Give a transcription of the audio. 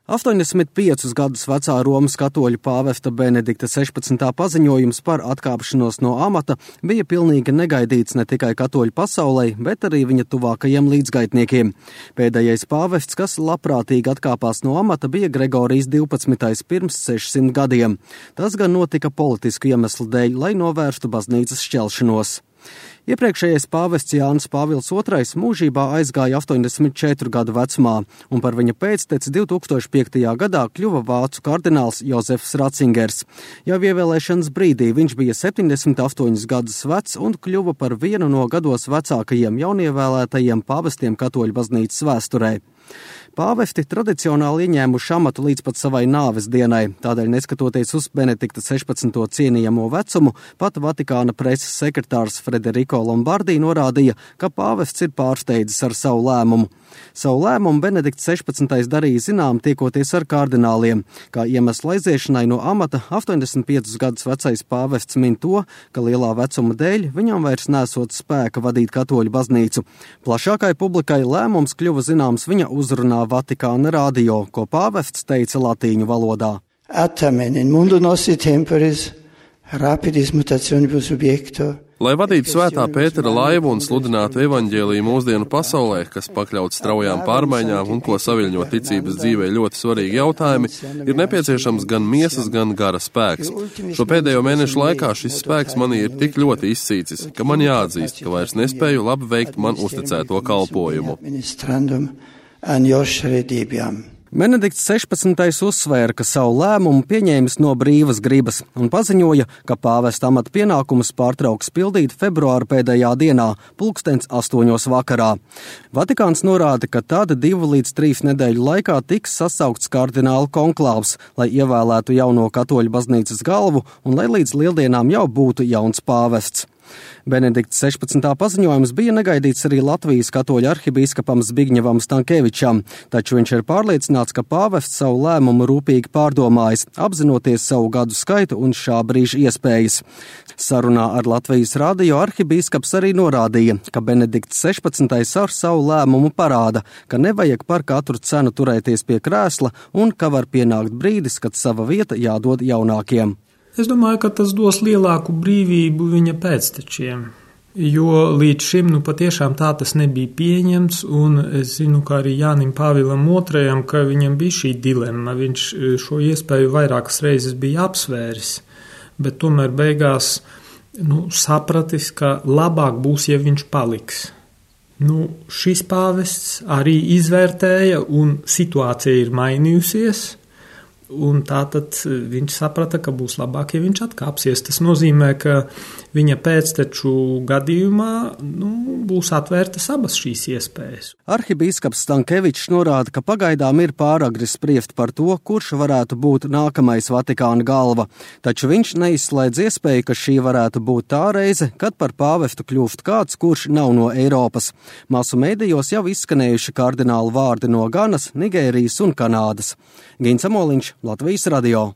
85 gadus vecā Romas katoļu pāvesta Benedikta 16. paziņojums par atkāpšanos no amata bija pilnīgi negaidīts ne tikai katoļu pasaulē, bet arī viņa tuvākajiem līdzgaitniekiem. Pēdējais pāvests, kas labprātīgi atkāpās no amata, bija Gregorijs 12. pirms 600 gadiem. Tas gan notika politisku iemeslu dēļ, lai novērstu baznīcas šķelšanos. Iepriekšējais pāvests Jānis Pāvils II mūžībā aizgāja 84 gadu vecumā, un par viņa pēcteci 2005. gadā kļuva vācu kardināls Jozefs Ratzingers. Jau ievēlēšanas brīdī viņš bija 78 gadus vecs un kļuva par vienu no gados vecākajiem jaunievēlētajiem pāvestiem katoļu baznīcas vēsturē. Pāvesti tradicionāli ieņēmuši amatu līdz pat savai nāves dienai, tādēļ neskatoties uz Benedikta 16. cienījamo vecumu, pat Vatikāna preses sekretārs Frederico Lombardi norādīja, ka pāvests ir pārsteidzis ar savu lēmumu. Savu lēmumu Benedikts 16. darīja zinām tiekoties ar kardināliem. Kā iemeslu aiziešanai no amata 85 gadus vecais pāvests min to, ka lielā vecuma dēļ viņam vairs nesot spēka vadīt katoļu baznīcu. Plašākai publikai lēmums kļuva zināms viņa uzrunā Vatikāna radio, ko pāvests teica latīņu valodā. Attamen in mundo nostri temporis rapidis mutationibus subjecto. Lai vadītu svētā Pētera laivu un sludinātu evaņģēliju mūsdienu pasaulē, kas pakļauts straujām pārmaiņām un ko saviļņo ticības dzīvē ļoti svarīgi jautājumi, ir nepieciešams gan miesas, gan gara spēks. Šo pēdējo mēnešu laikā šis spēks manī ir tik ļoti izsīcis, ka man jāatzīst, ka vairs nespēju labi veikt man uzticēto kalpojumu. Benedikts 16. uzsvēra, ka savu lēmumu pieņēmis no brīvas gribas un paziņoja, ka pāvesta amata pienākumus pārtrauks pildīt februāra pēdējā dienā, 8:00 vakarā. Vatikāns norāda, ka tad 2 līdz 3 nedēļu laikā tiks sasaukts kardinālu konklāvs, lai ievēlētu jauno katoļu baznīcas galvu un lai līdz lieldienām jau būtu jauns pāvests. Benedikta 16. paziņojums bija negaidīts arī Latvijas katoļu arhibīskapam Zbigņevam Stankevičam, taču viņš ir pārliecināts, ka pāvests savu lēmumu rūpīgi pārdomājis, apzinoties savu gadu skaitu un šā brīža iespējas. Sarunā ar Latvijas radio arhibīskaps arī norādīja, ka Benedikts 16. ar savu lēmumu parāda, ka nevajag par katru cenu turēties pie krēsla un ka var pienākt brīdis, kad sava vieta jādod jaunākiem. Es domāju, ka tas dos lielāku brīvību viņa pēctečiem, jo līdz šim patiešām tā tas nebija pieņemts, un es zinu, ka arī Jānim Pāvilam II, ka viņam bija šī dilemma, viņš šo iespēju vairākas reizes bija apsvēris, bet tomēr beigās sapratis, ka labāk būs, ja viņš paliks. Šis pāvests arī izvērtēja, un situācija ir mainījusies, un tātad viņš saprata, ka būs labāk, ja viņš atkāpsies. Tas nozīmē, ka viņa pēcteču gadījumā būs atvērtas abas šīs iespējas. Arhibīskaps Stankevičs norāda, ka pagaidām ir pāragri spriest par to, kurš varētu būt nākamais Vatikāna galva, taču viņš neizslēdz iespēju, ka šī varētu būt tā reize, kad par pāvestu kļūst kāds, kurš nav no Eiropas. Masu medijos jau izskanējuši kardinālu vārdi no Ganas, Nigērijas un Kanādas. Gins Amoliņš, Latvijas radio.